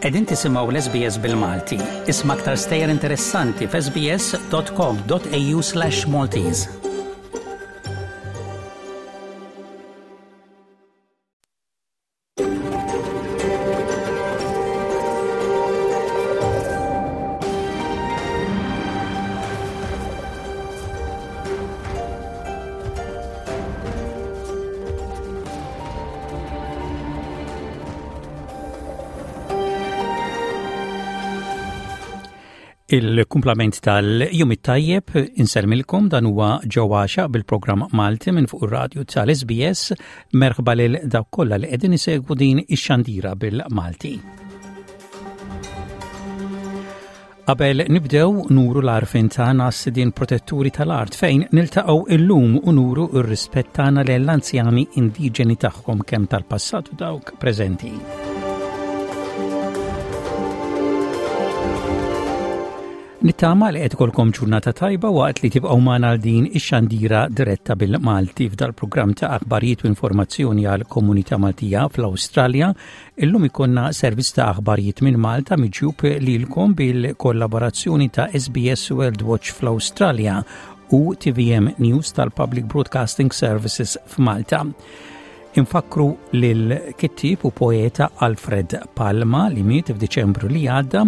Qegħdin tisimgħu l-SBS bil-Malti. Isma' aktar stejjer interessanti f'sbs.com.au/Maltese. Il-kumplament tal-jum it-tajjeb insellmilkom dan huwa Joe Għaxaq bil-programm Malti minn fuq ir-radju tal-SBS merħba lil dawk kollha li qegħdin isegwu din ix-xandira bil-Malti. Qabel nibdew nuru l-għarfien tagħna għas-sidien protetturi tal-art fejn niltaqgħu illum u nuru r-rispett tagħna lejn l-anzjani indiġeni tagħhom kemm tal-passat u dawk preżenti. Nittama li qed ikolkom ġurnata tajba waqt li tibqgħu magħna għal din ix-xandira diretta bil-Malti f'dal-programm ta' aħbarijiet u informazzjoni għal komunità Maltija fl-Awstralja Illum ikonna servizz ta' aħbarijiet minn Malta miġjub lilkom bil-kollaborazzjoni ta' SBS World Watch fl-Awstralja u TVM News tal-Public Broadcasting Services f'Malta. Infakru lil kittib u poeta Alfred Palma li miet f'Diċembru li għadda,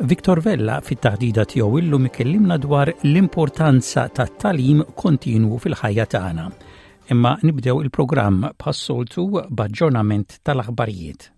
Victor Vella fit-taħdida tiegħu illum ikellimna dwar l-importanza tat-talim kontinwu fil-ħajja tagħna. Imma nibdew il-programm bħas-soltu b'aġġornament tal-aħbarijiet.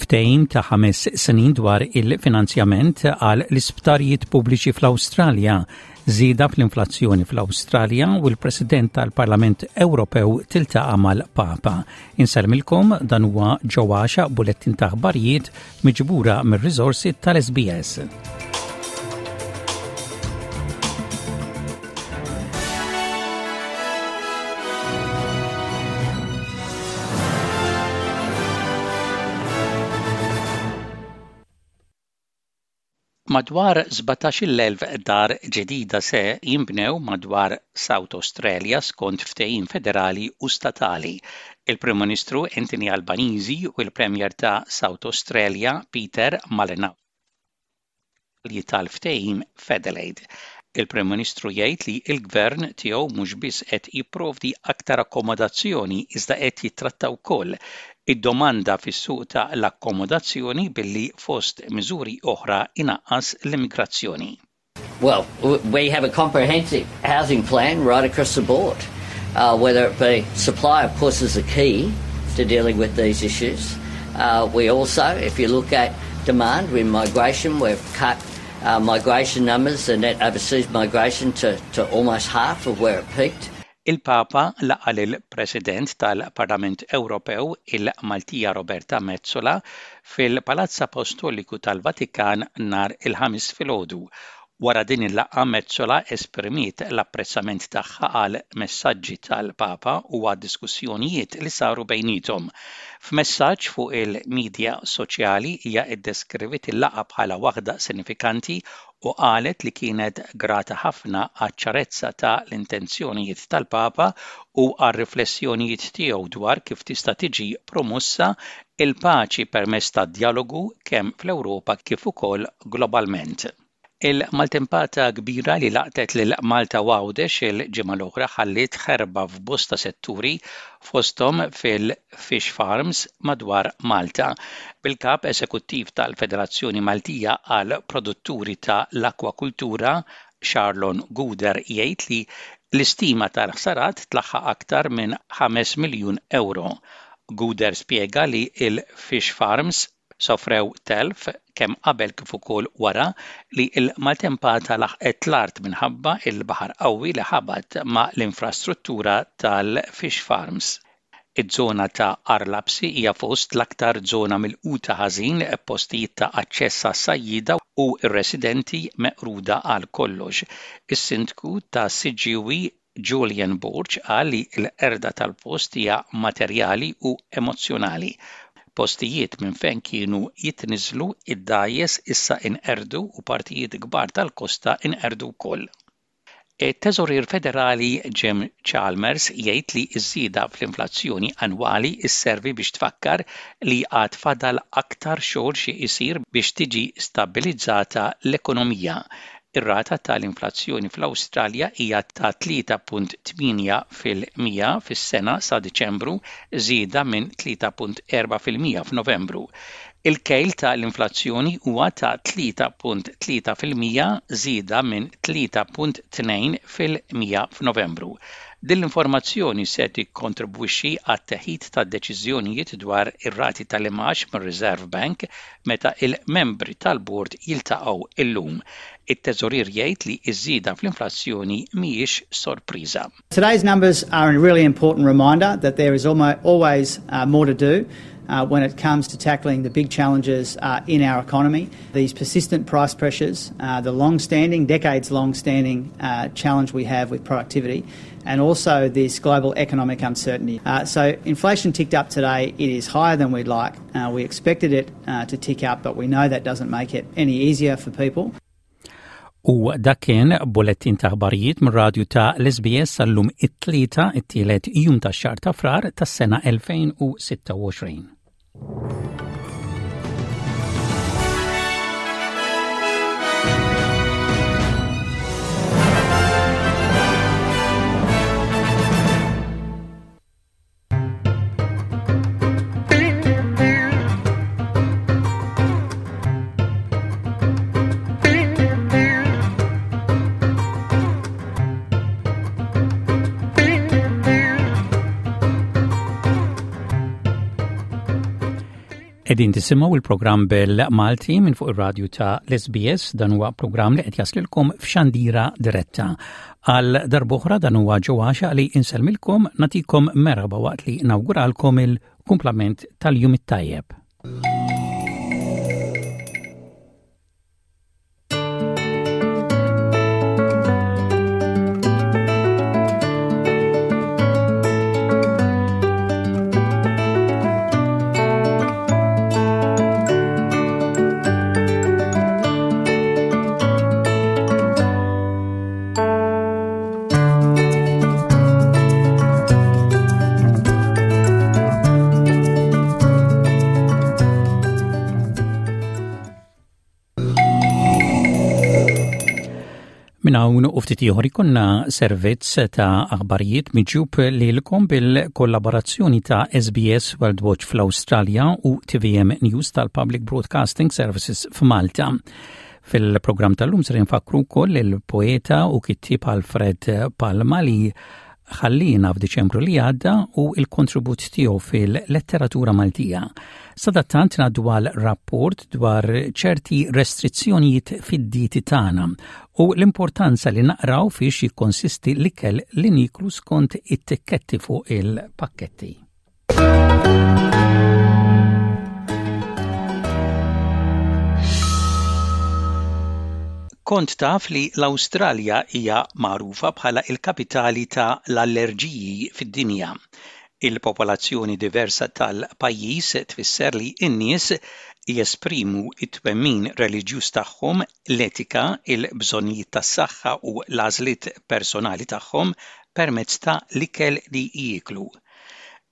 Ftehim ta' ħames snin dwar il-finanzjament għal l-isptarijiet pubbliċi fl-Awstralja, żieda fl-inflazzjoni fl-Awstralja u l-President tal-Parlament Ewropew tiltaqa' mal-Papa. Insellmilkom dan huwa Joe Għaxa bulettin ta' aħbarijiet miġbura mir-riżorsi tal-SBS. Madwar 17,000 dar ġdida se jinbnew madwar South Australia skont ftehim federali u statali. Il-Prim Ministru Anthony Albanese u l-Premier ta' South Australia Peter Malinauskas tal-ftehim f'Adelaide. Il-Prim Ministru jgħid li l-Gvern tiegħu mhux biss qed jipprovdi aktar akkomodazzjoni iżda qed jittratta wkoll id-domanda fis-suq ta' l-akkomodazzjoni billi fost miżuri oħra inaqqas l-immigrazzjoni. Well, we have a comprehensive housing plan right across the board. Uh, whether it be supply, of course, is the key to dealing with these issues. Uh, we also, if you look at demand with migration, we've cut uh, migration numbers, the net overseas migration to, to almost half of where it peaked. Il-Papa laqa' lill-President tal-Parlament Ewropew, il-Maltija Roberta Metsola, fil-Palazz Apostoliku tal-Vatikan nhar il-Ħamis filgħodu. Wara din il-laqgħa Metsola esprimiet l-apprezzament tagħha għall-messaġġi tal-Papa u għad-diskussjonijiet li saru bejniethom. F'messaġġ fuq il-midja soċjali hija ddeskriviet il-laqgħa bħala waħda sinifikanti u qalet li kienet grata ħafna għaċ-ċarezza ta' l-intenzjonijiet tal-Papa u għar-riflessjonijiet tiegħu dwar kif tista' tiġi promossa l-paċi permezz tad-djalogu kemm fl-Ewropa kif ukoll globalment. Il-maltempata kbira li laqtet lil Malta u Għawdex il-ġimgħa l-oħra ħalliet ħerba f'bosta setturi fosthom fil-fish farms madwar Malta. Bil-Kap Esekuttiv tal-Federazzjoni Maltija għall-Produtturi ta' l-Akwakultura, Charlon Gouder jgħid li l-istima tal-ħsarat tlaħħaq aktar minn 5 miljun ewro. Gouder spjega li l-fish farms sofrew telf kemm qabel kif ukoll wara li l-maltempata laħqet l-art minħabba l-baħar qawwi li ħabat ma' l-infrastruttura tal-fish farms. Iż-żona ta' Għar Lapsi hija fost l-aktar żona milquta ħażin b'postijiet ta' aċċess għas-sajjieda u r-residenti meqruda għal kollox. Is-Sindku ta' Siġġiewi Julian Borg qal li l-qerda tal-post hija materjali u emozzjonali. Postijiet minn fejn kienu jitniżżlu id-dgħajjes issa inqerdu u partijiet kbar tal-kosta inqerdu wkoll. It-Teżorier Federali Jim Chalmers jgħid li ż-żieda fl-inflazzjoni annwali sservi biex tfakkar li għad fadal aktar xogħol xi jsir biex tiġi stabbilizzata l-ekonomija. Ir-rata tal-inflazzjoni fl-Awstralja hija ta' 3.8 fil-mija fis-sena sa Diċembru, żieda minn 3.4 fil-mija f'Novembru. Il-kejl ta' l-inflazzjoni huwa ta' 3.3%, żieda minn 3.2% f'Novembru. Din l-informazzjoni se tikkontribwixxi għat-teħid ta' deċiżjonijiet dwar ir-rati tal-imgħax mir-Reserve Bank meta l-membri tal-bord jiltaqgħu illum. It-Teżorier jgħid li ż-żieda fl-inflazzjoni mhijiex sorpriża. Today's numbers are a really important reminder that there is always uh, more to do uh, when it comes to tackling the big challenges uh, in our economy. These persistent price pressures, uh, the long-standing, decades long-standing uh, challenge we have with productivity, and also this global economic uncertainty. Uh, so inflation ticked up today. It is higher than we'd like. Uh, we expected it uh, to tick up, but we know that doesn't make it any easier for people. U dak kien bulettin ta' aħbarijiet mir-radju ta' l-SBS sal-lum it-tlieta it-tielet jum tax-xahar ta' Frar tas-sena 2026. Edin tisimaw il-programm bil-Malti minn fuq ir-radju ta' l-SBS dan huwa programm li qed jaslilkom f'xandira diretta. Għal darb'oħra dan huwa Joe Għaxaq li insellmilkom nagħtikom merħba waqt li nawguralkom il-kumplament tal-jum it-tajjeb. Minn hawn u ftit ieħor ikonna servizz ta' aħbarijiet miġjub lilkom bil-kollaborazzjoni ta' SBS World Watch fl-Awstralja u TVM News tal-Public Broadcasting Services f'Malta. Fil-programm tal-lum ser infakkru wkoll il-poeta u kittieb Alfred Palma li ħallina f'Diċembru li għadda u il-kontribut tiegħu fil-letteratura Maltija. Sadattant ngħaddu għal rapport dwar ċerti restrizzjonijiet fid-dieti tagħna u l-importanza li naqraw fiex jikkonsisti l-ikel li niklu skont it-tikketti fuq il-pakketti. Kont taf li l-Awstralja hija magħrufa bħala l-kapitali ta' l-allerġiji fid-dinja. Il-popolazzjoni diversa tal-pajjiż tfisser li n-nies jesprimu t-twemmin reliġjuż tagħhom, l-etika, il-bżonnijiet tas-saħħa u l-għażliet personali tagħhom permezz ta' l-ikel li jieklu.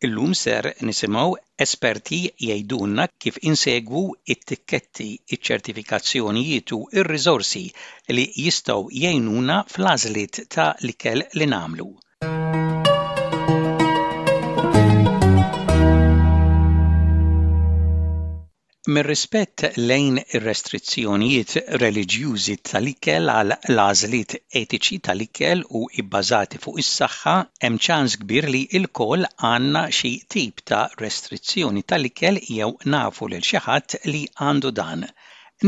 Illum ser nisimgħu esperti jgħidulna kif insegwu t-tikketti, iċ-ċertifikazzjonijiet u r-riżorsi li jistgħu jgħinuna fl-għażliet ta' l-ikel li nagħmlu. Mir-rispett lejn ir-restrizzjonijiet reliġjużi tal-ikel għal l-għażliet etiċi tal-ikel u bbażati fuq is-saħħa, hemm ċans kbir li lkoll għandna xi tip ta' restrizzjoni tal-ikel jew nafu lil xi ħadd li għandu dan.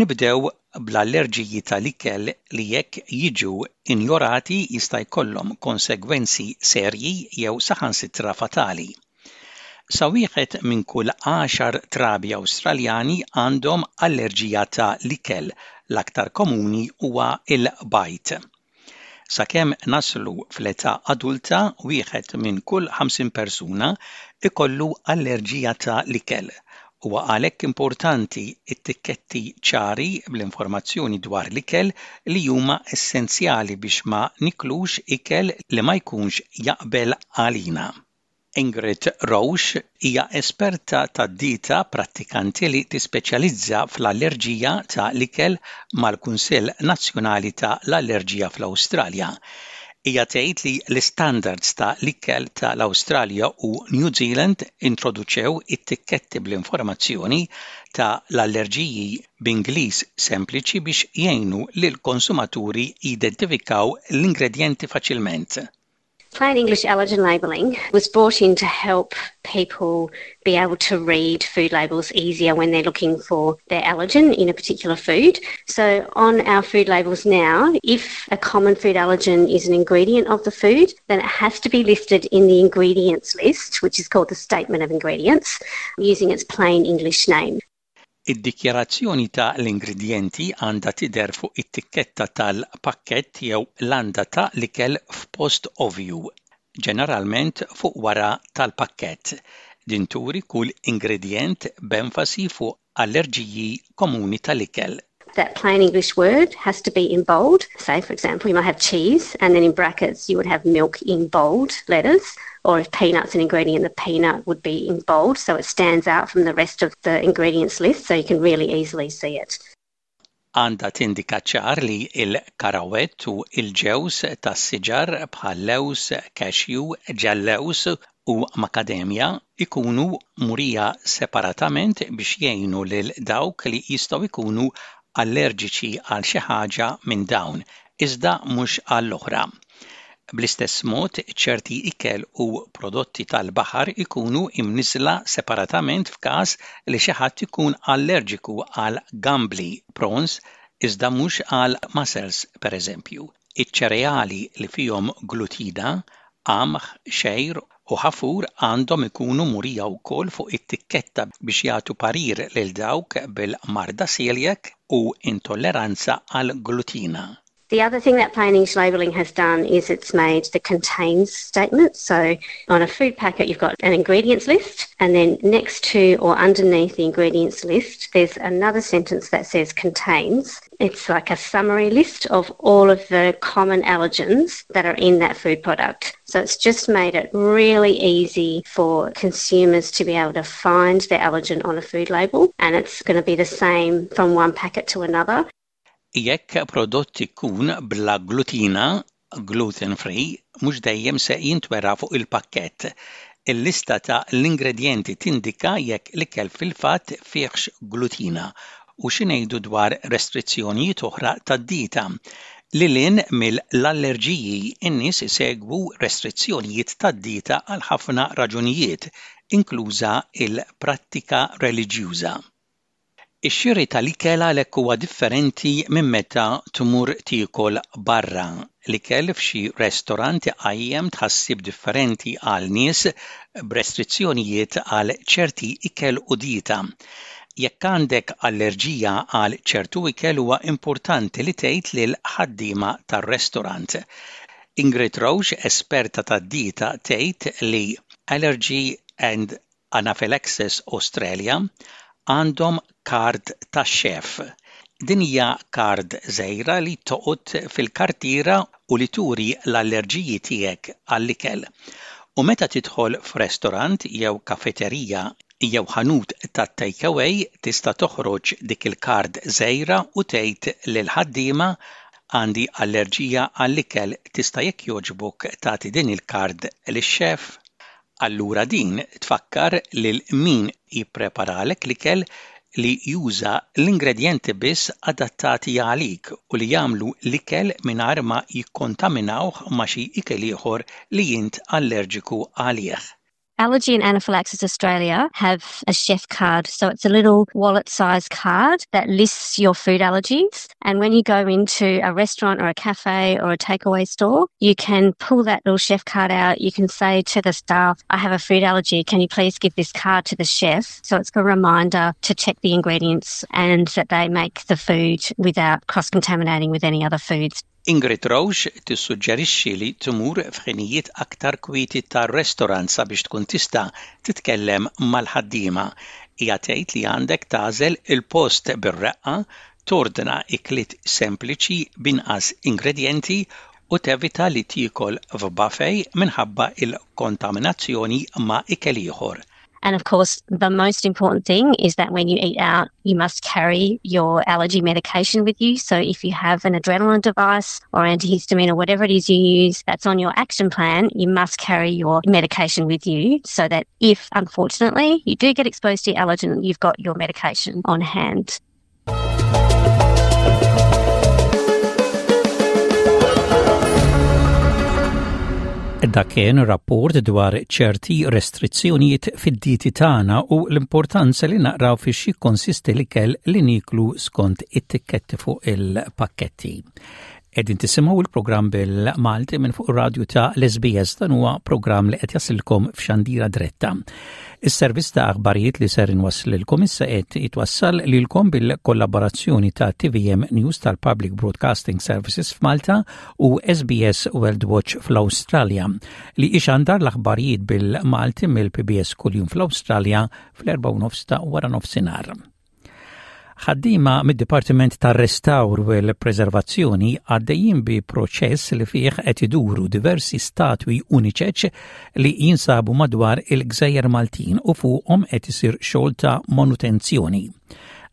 Nibdew bl-allerġiji tal-ikel li jekk jiġu injorati jista' jkollhom konsegwenzi serji jew saħansitra fatali. Sa wieħed minn kull għaxar trabi Awstraljani għandhom allerġija ta' l-ikel, l-aktar komuni huwa l-bajd. Sakemm naslu fl-età adulta, wieħed minn kull 50 persuna jkollu allerġija ta' l-ikel. Huwa għalhekk importanti t-tikketti ċari bl-informazzjoni dwar l-ikel li huma essenzjali biex ma niklux ikel li ma jkunx jaqbel għalina. Ingrid Roche hija esperta tad-dieta prattikanti li tispeċjalizza fl-allerġija ta' l-ikel mal-Kunsill Nazzjonali ta' l-Allerġija fl-Awstralja. Hija tgħid li l-istandards ta' l-ikel ta' l-Awstralja u New Zealand introduċew it-tikketti bl-informazzjoni ta' l-allerġiji b'Ingliż sempliċi biex jgħinu lill-konsumaturi jidentifikaw l-ingredjenti faċilment. Plain English allergen labelling was brought in to help people be able to read food labels easier when they're looking for their allergen in a particular food. So on our food labels now, if a common food allergen is an ingredient of the food, then it has to be listed in the ingredients list, which is called the statement of ingredients, using its plain English name. Id-dikjarazzjoni ta' l-ingredjenti għandha tidher fuq it-tikketta tal-pakkett jew landa ta' l-ikel f'post ovvju, ġeneralment fuq wara tal-pakkett. Din turi kull ingredjent b'enfasi fuq allerġiji komuni tal-ikel. That plain English word has to be in bold. Say, for example, you might have cheese, and then in brackets you would have milk in bold letters. Or if peanut's an ingredient, the peanut would be in bold, so it stands out from the rest of the ingredients list, so you can really easily see it. Għandha tindika ċar li l-karawett u l-ġewż tas-siġar bħal lewż, cashew, ġellewż u makademja jkunu murija separatament biex jgħinu lil dawk li jistgħu jkunu allerġiċi għal xi ħaġa minn dawn, iżda mhux għall-oħra. Bl-istess mod, ċerti ikel u prodotti tal-baħar ikunu imniżżla separatament f'każ li xi ħadd ikun allerġiku għal gambli, prawns, iżda mhux għal mussels, pereżempju. Iċ-ċereali li fihom glutina, qamħ, xgħir u ħafur għandhom ikunu murija wkoll fuq it-tikketta biex jagħtu parir lil dawk bil-marda celiac u intolleranza għall-glutina. The other thing that plain English labelling has done is it's made the contains statement. So on a food packet, you've got an ingredients list, and then next to or underneath the ingredients list, there's another sentence that says contains. It's like a summary list of all of the common allergens that are in that food product. So it's just made it really easy for consumers to be able to find their allergen on a food label and it's going to be the same from one packet to another. Jekk prodott ikun bla glutina, gluten free, mhux dejjem se jintwera fuq il-pakkett. Il-lista ta' l-ingredjenti tindika jekk l-ikel fil-fatt fihx glutina u xi ngħidu dwar restrizzjonijiet oħra tad-dieta. Lil hinn mill-allerġiji, in-nies isegwu restrizzjonijiet tad-dieta għal ħafna raġunijiet, inkluża l-prattika reliġjuża. Ix-xiri tal-ikel għalhekk huwa differenti minn meta tmur tiekol barra. L-ikel f'xi restorant iqajjem tħassib differenti għal nies b'restrizzjonijiet għal ċerti ikel u dieta. Jekk għandek allerġija għal ċertu ikel huwa importanti li tgħid lill-ħaddiema tar-restorant. Ingrid Roche, esperta tad-dieta tgħid li Allergy and Anaphylaxis Australia għandhom kard tax-xef. Din hija kard żgħira li toqgħod fil-kartiera u li turi l-allerġiji tiegħek għall-ikel. U meta tidħol f'restorant jew kafeterija jew ħanut tat-take away tista' toħroġ dik il-kard żgħira u tgħid lill-ħaddiema għandi allerġija għall-ikel tista' jekk jogħġbok tagħti din il-kard lix-xef? Allura din tfakkar lil min jippreparalek l-ikel li juża l-ingredjenti biss adattati għalik u li jagħmlu l-ikel mingħajr ma jikkontaminawh ma' xi ikel ieħor li int allerġiku għalih. Allergy and Anaphylaxis Australia have a chef card. So it's a little wallet size card that lists your food allergies. And when you go into a restaurant or a cafe or a takeaway store, you can pull that little chef card out. You can say to the staff, I have a food allergy. Can you please give this card to the chef? So it's a reminder to check the ingredients and that they make the food without cross-contaminating with any other foods. Ingrid Roche tissuġġerixxi li tmur f'ħinijiet aktar kwieti tar-restorant sabiex tkun tista' titkellem mal-ħaddiema. Hija tgħid li għandek tagħżel il-post bir-reqqa, tordna ikliet sempliċi b'inqas ingredjenti u tevita li tiekol f'buffet minħabba l-kontaminazzjoni ma' ikel ieħor. And of course, the most important thing is that when you eat out, you must carry your allergy medication with you. So if you have an adrenaline device or antihistamine or whatever it is you use that's on your action plan, you must carry your medication with you so that if, unfortunately, you do get exposed to allergen, you've got your medication on hand. Dak kien rapport dwar ċerti restrizzjonijiet fid-dieti tagħna u l-importanza li naqraw fiex jikkonsisti l-ikel li nieklu skont it-tikketti fuq il-pakketti. Qegħdin tisimgħu il-programm bil-Malti minn fuq ir-radju ta' l-SBS dan huwa programm li qed jasilkom f'xandira dretta. Is-servizz ta' aħbarijiet li ser inwasslilkom issa qed jitwassal lilkom bil-kollaborazzjoni ta' TVM News tal-Public Broadcasting Services f'Malta u SBS World Watch fl-Awstralja li ixandar l-aħbarijiet bil-Malti mill-PBS kuljum fl-Awstralja fl-4 ta' wara nofsinhar. Ħaddiema mid-Dipartiment tar-Restawr u l-Preservazzjoni għaddejjin bi proċess li fih qed iduru diversi statwi uniċeċ li jinsabu madwar il-Gżejjer Maltin u fuqhom qed isir xogħol ta' manutenzjoni.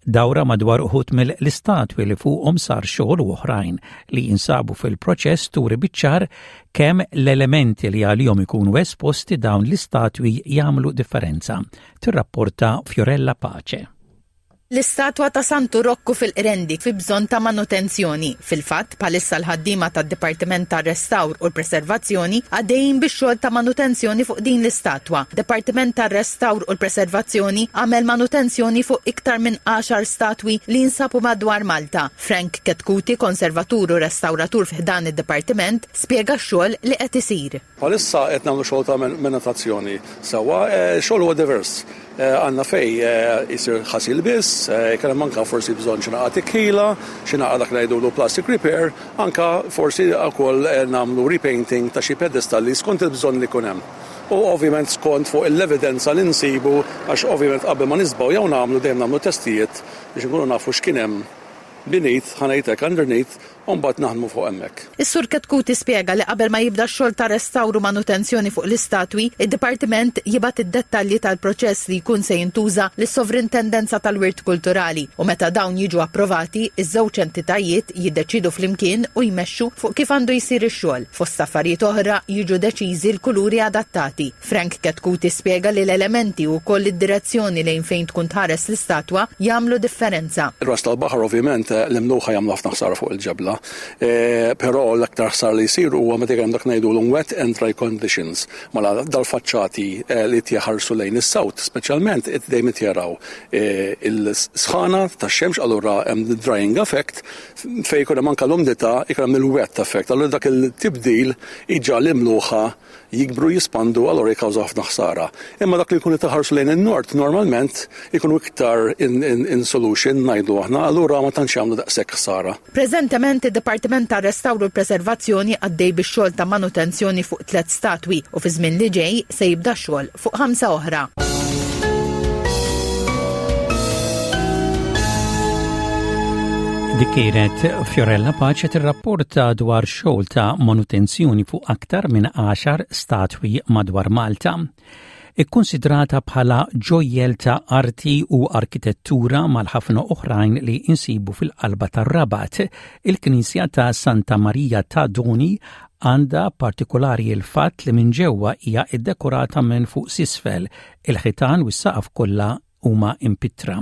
Dawra madwar uħud mill-istatwi li fuqhom sar xogħol u oħrajn li jinsabu fil-proċess turi biċ-ċar kemm l-elementi li għalihom ikunu esposti dawn l-istatwi jagħmlu differenza, tirrapporta Fiorella Pace. L-istatwa ta' Santu Rokku fil-Qrendi fi bżonn ta' manutenzjoni. Fil-fatt, bħalissa l-ħaddiema tad-Dipartiment tar-Restawr u l-Preservazzjoni għaddejjin bix-xogħol ta' manutenzjoni fuq din l-istatwa. Dipartiment tar-Restawr u l-Preservazzjoni għamel manutenzjoni fuq iktar minn għaxar statwi li jinsabu madwar Malta. Frank Chetcuti, konservatur u restawratur fi ħdan id-Dipartiment, spjega x-xogħol li qed isir. Bħalissa qed nagħmlu xogħol ta' manutazzjoni sewwa, xogħol huwa divers. Għandna fejn isir ħasil biss, ikun hemm anke forsi bżonn xi naqra tikħila, xi naqra dak li ngħidulu plastic repair, anke forsi wkoll nagħmlu repainting ta' xi pedestalli skont il-bżonn li jkun hemm. U ovvjament skont fuq l-evidenza li nsibu għax ovvjament qabel ma niżbgħu jew nagħmlu dejjem nagħmlu testijiet biex inkunu nafu x'kien hemm beneath, ħa ngħid hekk, underneath, u mbagħad naħdmu fuq hemmhekk. Is-Sur Chetcuti spjega li qabel ma jibda x-xogħol ta' restawr u manutenzjoni fuq l-istatwi, id-Dipartiment jibgħat id-dettalji tal-proċess li jkun se jintuża lis-Sovrintendenza tal-Wirt Kulturali u meta dawn jiġu approvati, iż-żewġ entitajiet jiddeċiedu flimkien u jmexxu fuq kif għandu jsir ix-xogħol. Fost affarijiet oħra, jiġu deċiżi l-kuluri adattati. Frank Chetcuti spjega li l-elementi u wkoll id-direzzjoni lejn fejn tkun tħares l-istatwa jagħmlu differenza. Ir-ras tal-baħar ovvjament l-imluħa jagħmlu ħafna ħsara fuq il-ġebla. Però l-aktar ħsara li jsir huwa meta jkun hemm dak ngħidulhom wet and dry conditions. Mela dal-faċċati li qed jħarsu lejn is-south speċjalment dejjem qed jaraw il-sħana tax-xemx allura hemm drying effect fejn ikun hemm anke l-umdità jkun hemm il-wet effect. Allura dak il-tibdil iġagħal l-imluħa jikbru, jispandu, allura jikkawżaw ħafna ħsara. Imma dak li jkunu taħarsu lejn in-nord normalment ikunu iktar in, in, in solution ngħidu aħna, allura ma tantx jagħmlu daqshekk ħsara. Preżentement id-Dipartiment tar-Restawr u l-Preservazzjoni għaddej bix-xogħol ta' manutenzjoni fuq tliet statwi u fi żmien li ġej se jibda x-xogħol fuq ħamsa oħra. Dik kienet Fiorella Pace tirrapporta dwar xogħol ta' manutenzjoni fuq aktar minn 10 statwi madwar Malta. Ikkonsidrata bħala ġojjel ta' arti u arkitettura mal-ħafna oħrajn li insibu fil-qalba tar-Rabat, il-Knisja ta' Santa Marija ta' Doni għandha partikolari l-fatt li minn ġewwa hija ddekorata minn fuq s'isfel, il-ħitan u s-saqaf kollha huma impittra.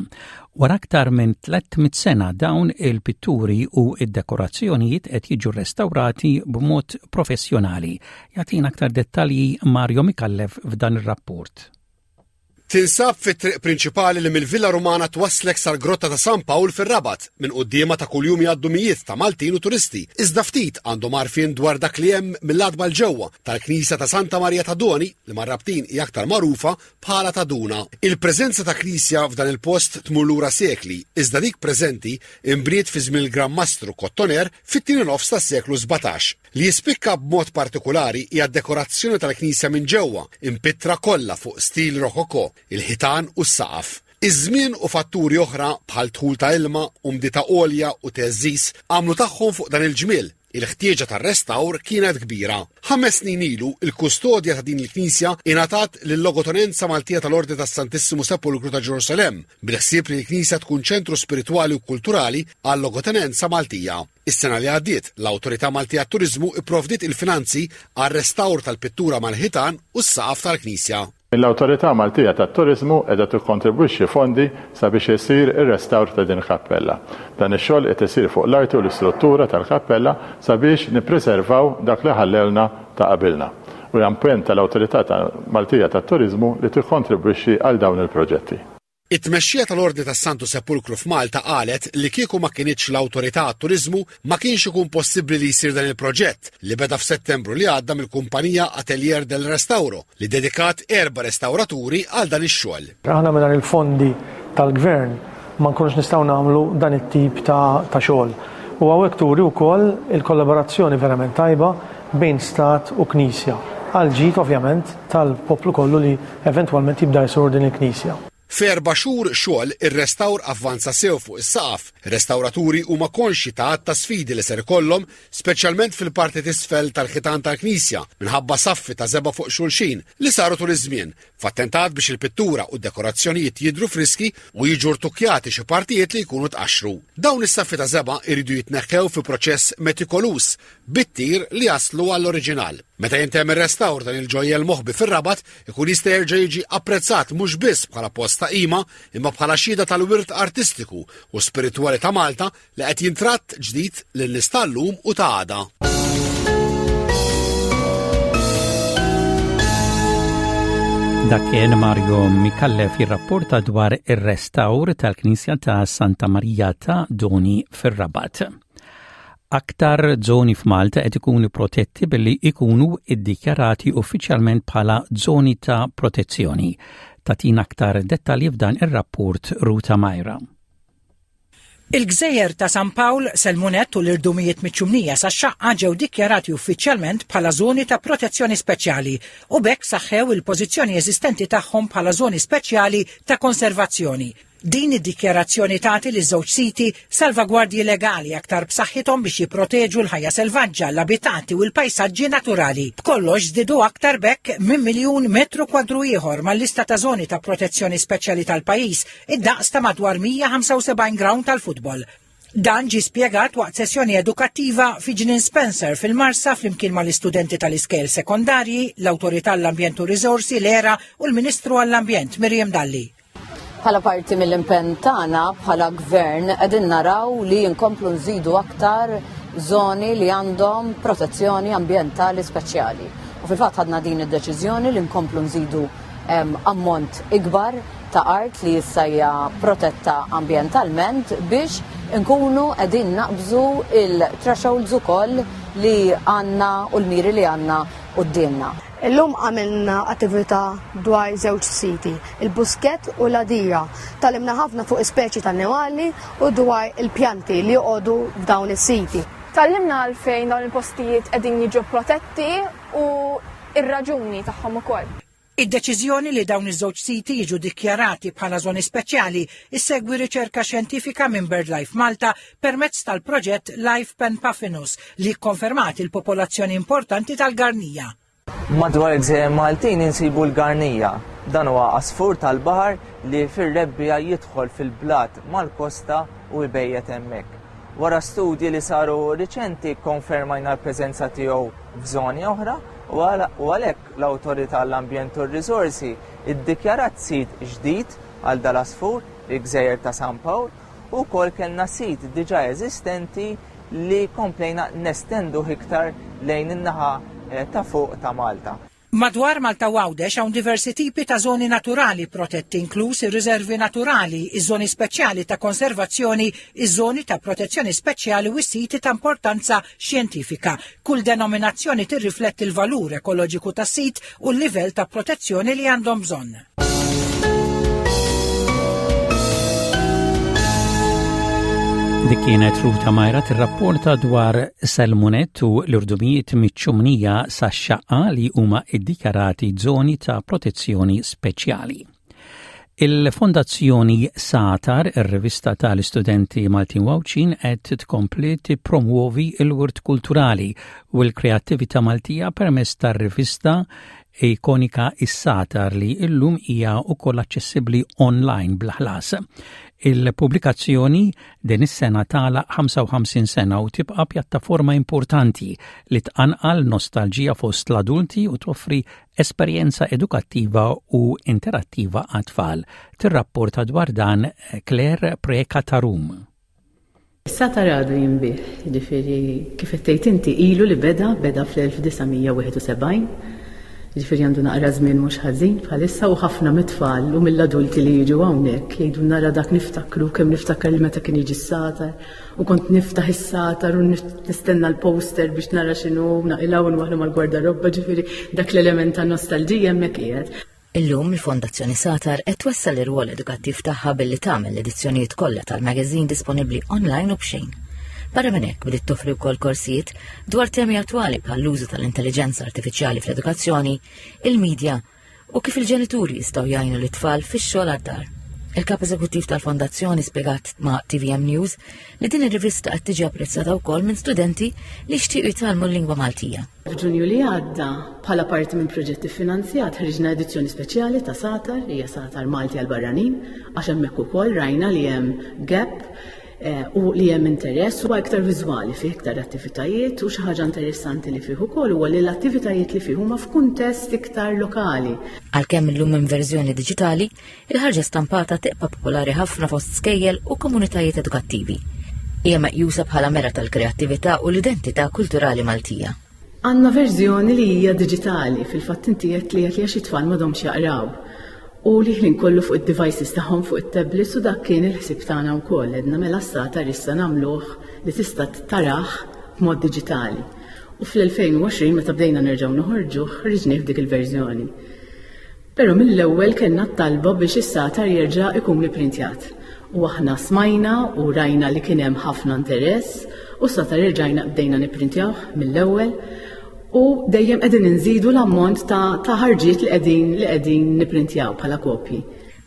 Wara aktar minn 300 sena dawn il-pitturi u id-dekorazzjonijiet qed jiġu restawrati b'mod professjonali. Jagħtina aktar dettalji Mario Micallef f'dan ir-rapport. Tinsab fit-triq prinċipali li mill-Villa Rumana twasslek sal-Grotta ta' San Pawl fir-Rabat. Minn quddiemha ta' kuljum jgħaddu mijiet ta' Maltin u turisti, iżda ftit għandhom għarfien dwar dak li hemm mill-għatba 'l ġewwa tal-Knisja ta' Santa Marija ta' Doni li mar-Rabtin hi aktar magħrufa bħala ta' Duna. Il-preżenza ta' knisja f'dan il-post tmur lura sekli, iżda dik preżenti nbniet fi żmien il-Gran Mastru Kottoner fit-tieni nofs tas-seklu 17. Li jispikka b'mod partikulari hija d-dekorazzjoni tal-knisja minn ġewwa, impittra kollha fuq stil rokoko, il-ħitan u s-saqaf. Iż-żmien u fatturi oħra bħal dħul ta' ilma, umdità għolja u theżżiż għamlu tagħhom fuq dan il-ġmiel. Il-ħtieġa tar-restawr kienet kbira. Ħames snin ilu, il-kustodja ta' din il-knisja ingħatat lil-Logotonenza Maltija tal-Ordni tas-Santissimu Sepulkru ta' Ġerusalemm, bil-ħsieb li l-knisja tkun ċentru spiritwali u kulturali għal-Logotenenza Maltija. Is-sena li għaddiet, l-Awtorità Maltija għat-Turiżmu pprovdiet il-finanzi għar-restawr tal-pittura mal-ħitan u s-saqaf tal-knisja. L-Awtorità Maltija tat-Turiżmu qiegħda tikkontribwixxi fondi sabiex isir ir-restawr ta' din il-kappella. Dan ix-xogħol qed isir fuq l-arti u l-istruttura tal-kappella sabiex nippreservaw dak li ħallewlna ta' qabilna. U hija impenn tal-Awtorità Maltija tat-Turiżmu li tikkontribwixxi għal dawn il-proġetti. It-tmexxija tal-Ordni tas-Santu Sepulkru f'Malta qalet li kieku ma kinitx l-Awtorità għat-Turiżmu ma kienx ikun possibbli li jsir dan il-proġett li beda f'Settembru li għadda mill-kumpanija Atelier del Restauro li ddedikat erba' restawraturi għal dan ix-xogħol. Aħna mingħajr il-fondi tal-Gvern ma nkunux nistgħu nagħmlu dan it-tip ta' xogħol. U hawnhekk turi wkoll il-kollaborazzjoni verament tajba bejn Stat u Knisja, għall-ġid ovvjament tal-poplu kollu li eventwalment jibda jżur din il-knisja. F'erba' xhur xogħol, ir-restawr avvanza sew fuq is-saqaf. Ir-restawraturi huma konxji ta' għadd ta' sfidi li ser ikollhom, speċjalment fil-parti t'isfel tal-ħitan tal-knisja, minħabba saffi ta' żebgħa fuq xulxin li saru tul iż-żmien, f'attentat biex il-pittura u d-dekorazzjonijiet jidhru friski u jiġu rtukkjati xi partijiet li jkunu tqaxxru. Dawn is-saffi ta' żebgħa jridu jitneħħew fi proċess metikoluż bit-tir li jaslu għall-oriġinal. Meta jintemm ir-restawr dan il-ġojjel moħbi fir-Rabat ikun jista' jerġa' jiġi apprezzat mhux biss bħala post ta' qima imma bħala xhieda tal-wirt artistiku u spiritwali ta' Malta li qed jintratt ġdid lin-nies tal-lum u ta' għada. Dak kien Mario Mikallef jirrapporta dwar ir-restawr tal-Knisja ta' Santa Marija ta' Doni fir-Rabat. Aktar żoni f'Malta qed ikunu protetti billi ikunu iddikjarati uffiċjalment bħala żoni ta' protezzjoni. Tatina aktar dettalji f'dan ir-rapport Ruta Majra. Il-gżejjer ta' San Pawl, Selmunett u l-irdumijiet miċ-Ċumnija sax-Xaqqa ġew dikjarati uffiċjalment bħala żoni ta' protezzjoni speċjali u b'hekk saħħew il-pożizzjoni eżistenti tagħhom bħala żoni speċjali ta' konservazzjoni. Din id-dikjarazzjoni tagħti liż-żewġ siti salvagwardji legali aktar b'saħħithom biex jipproteġu l-ħajja selvaġġa, l-abitati u l-pajsaġġi naturali. B'kollox żdiedu aktar b'hekk minn miljun metru kwadru ieħor mal-lista ta' żoni ta' protezzjoni speċjali tal-pajjiż, id-daqs ta' madwar 175 grawnd tal-futbol. Dan ġie spjegat waqt sessjoni edukattiva fi Ġnien Spencer fil-Marsa flimkien mal-istudenti tal-iskejjel sekondarji, l-Awtorità għall-Ambjent u Riżorsi, l-ERA, u l-Ministru għall-Ambjent Miriam Dalli. Bħala parti mill-impenn tagħna bħala gvern qegħdin naraw li nkomplu nżidu aktar żoni li għandhom protezzjoni ambjentali speċjali. U fil-fatt ħadna din id-deċiżjoni li nkomplu nżidu ammont ikbar ta' art li issa hija protetta ambjentalment biex nkunu qegħdin naqbżu il-thresholds ukoll li għandna u l-miri li għandna quddiemna. Illum għamilna attività dwar żewġ siti, il-Buskett u l-Għadira. Tgħallimna ħafna fuq ispeċi ta' annimali u dwar il-pjanti li joqogħdu f'dawn is-siti. Tgħallimna għalfejn dawn il-postijiet qegħdin jiġu protetti u r-raġuni tagħhom ukoll. Id-deċiżjoni li dawn iż-żewġ siti jiġu dikjarati bħala żoni speċjali issegwi riċerka xjentifika minn BirdLife Malta permezz tal-proġett Life Pen Puffinus li kkonfermat il-popolazzjoni importanti tal-garnija. Madwar il-gżejjer Maltin insibu l-garnija. Dan huwa għasfur tal-baħar li fir-rebbiegħa jidħol fil-blat mal-kosta u jbejjet hemmhekk. Wara studji li saru riċenti kkonfermajna l-preżenza tiegħu f'żoni oħra u għalhekk l-Awtorità għall-Ambjent u r-Riżorsi ddikjarat sit ġdid għal dal-għasfur, il-Gżejjer ta' San Pawl, u wkoll kellna sit diġà eżistenti li komplejna nestenduh iktar lejn in-naħa ta' fuq ta' Malta. Madwar Malta u Għawdex hawn diversi tipi ta' żoni naturali protetti inkluż ir-riservi naturali, iż-żoni speċjali ta' konservazzjoni, iż-żoni ta' protezzjoni speċjali u s-siti ta' importanza xjentifika. Kull denominazzjoni tirrifletti l-valur ekoloġiku tas-sit u l-livell ta' protezzjoni li għandhom bżonn. Dik kienet Ruta Majra tirrapporta dwar Selmunet u l-irdumijiet miċ-ċumnija sax-xaqqa li huma iddikjarati żoni ta' protezzjoni speċjali. Il-Fondazzjoni Sagħtar, ir-rivista tal-istudenti Maltin u Għawdxin, qed tkompli tippromwovi l-wirt kulturali u l-kreattività Maltija permezz tar-rivista ikonika Is-Sagħtar li llum hija wkoll aċċessibbli online bla ħlas. Il-pubblikazzjoni din is-sena tagħlaq 55 sena u tibqa' pjattaforma importanti li tqanqal nostalġija fost l-adulti u toffri Esperjenza edukattiva u interattiva għat-tfal. Tirrapporta dwar dan Claire Preca ta' Rum. Is-satar għadu jinbiegħ, jiġifieri kif qed tgħid inti ilu li beda, beda fl-1971, jiġifieri għandu naqra żmien mhux ħażin bħalissa u ħafna mit-tfal u mill-adulti li jiġu hawnhekk jgħidulna ara dak niftakru kemm niftakar li meta kien jiġi s-satar U kont niftaħ is-satar u nistenna l-poster biex nara x'inhu, naqilgħu u nwaħħlu mal-gwardarobba, ġifieri dak l-element ta' nostalġija hemmhekk qiegħed. Illum il-Fondazzjoni Satar qed twessa' l-irwol edukattiv tagħha billi tagħmel l-edizzjonijiet kollha tal-magazine disponibbli online u b'xejn. Barra minn hekk bdiet toffri wkoll korsijiet dwar temi attwali bħall-użu tal-intelliġenza artifiċjali fl-edukazzjoni, il-medja u kif il-ġenituri jistgħu jgħinu lit-tfal fix-xogħol għad-dar. Il-kap eżekuttiv tal-fondazzjoni spjegat ma' TVM News li din ir-rivista qed tiġi apprezzata wkoll minn studenti li jixtiequ jitgħallmu l-lingwa Maltija. F'Ġunju li għadda, bħala parti minn proġett iffinanzjat, ħriġna edizzjoni speċjali ta' Satar, hija Satar Malti għal barranin, għax hemmhekk ukoll rajna li hemm gap Eh, u li hemm interess huwa iktar viżwali fih iktar attivitajiet u xi ħaġa interessanti li fih ukoll huwa li l-attivitajiet li fih huma f'kuntest iktar lokali. Għalkemm illum hemm verżjoni diġitali, il-ħarġa stampata tibqa' popolari ħafna fost skejjel u komunitajiet edukattivi. Hija meqjusa bħala mera tal-kreattività u l-identità kulturali Maltija. Għandna verżjoni li hija diġitali, fil-fatt inti għedt li għedt li għax it-tfal m'għadhomx jaqraw u li ħin kollu fuq id-devices tagħhom fuq it-tablets u dak kien il-ħsieb tagħna wkoll, għedna mela s-satar issa nagħmluh li tista' tarah b'mod diġitali. U fl-2020 meta bdejna nerġgħu noħorġuh ħriġnieh f'dik il-verżjoni. Però mill-ewwel kellna t-talba biex is-sagħtar jerġa' ikun ipprintjat. U aħna smajna u rajna li kien hemm ħafna interess u s-sagħtar erġajna bdejna nipprintjawh mill-ewwel u dejjem qegħdin inżidu l-ammont ta' ta' ħarġiet li qegħdin li qegħdin nipprintjaw bħala kopji.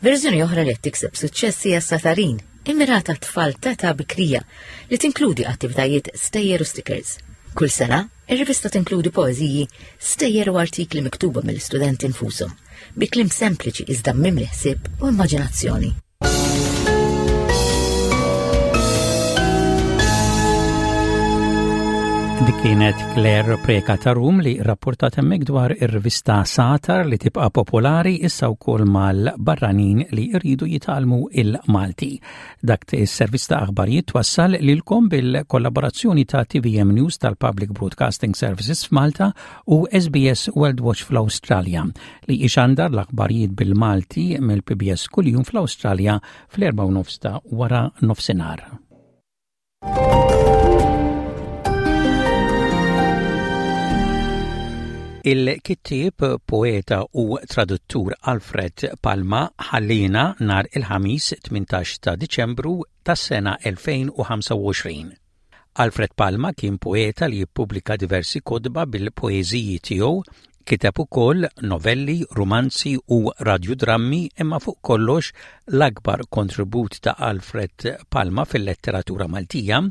Verżjoni oħra li qed tikseb suċċess hija s-Satarin, immirata għat-tfal t'età bikrija, li tinkludi attivitajiet, stejjer u stickers. Kull sena, Ir-rivista tinkludi poeżiji, stejjer u artikli miktuba mill-istudenti nfushom, bi kliem sempliċi iżda mimli ħsieb u immaġinazzjoni. Dik kienet Claire Preka ta' Rum li rapportat hemmhekk dwar ir-rivista Satar li tibqa' popolari issa wkoll mal-barranin li jridu jitgħallmu il-Malti. Dak is-servizz ta' aħbarijiet twassal lilkom bil-kollaborazzjoni ta' TVM News tal-Public Broadcasting Services f'Malta u SBS World Watch fl-Awstralja li ixandar l-aħbarijiet bil-Malti mill-PBS kuljum fl-Awstralja fl-4 ta' wara nofsinhar. Il-kittieb, poeta u traduttur Alfred Palma ħalliena nhar il-Ħamis 18 ta' Diċembru tas-sena 2025. Alfred Palma kien poeta li jippubblika diversi kotba bil-poeżiji tiegħu, kiteb ukoll novelli, rumanzi u radjudrammi imma fuq kollox l-akbar kontribut ta' Alfred Palma fil-letteratura Maltija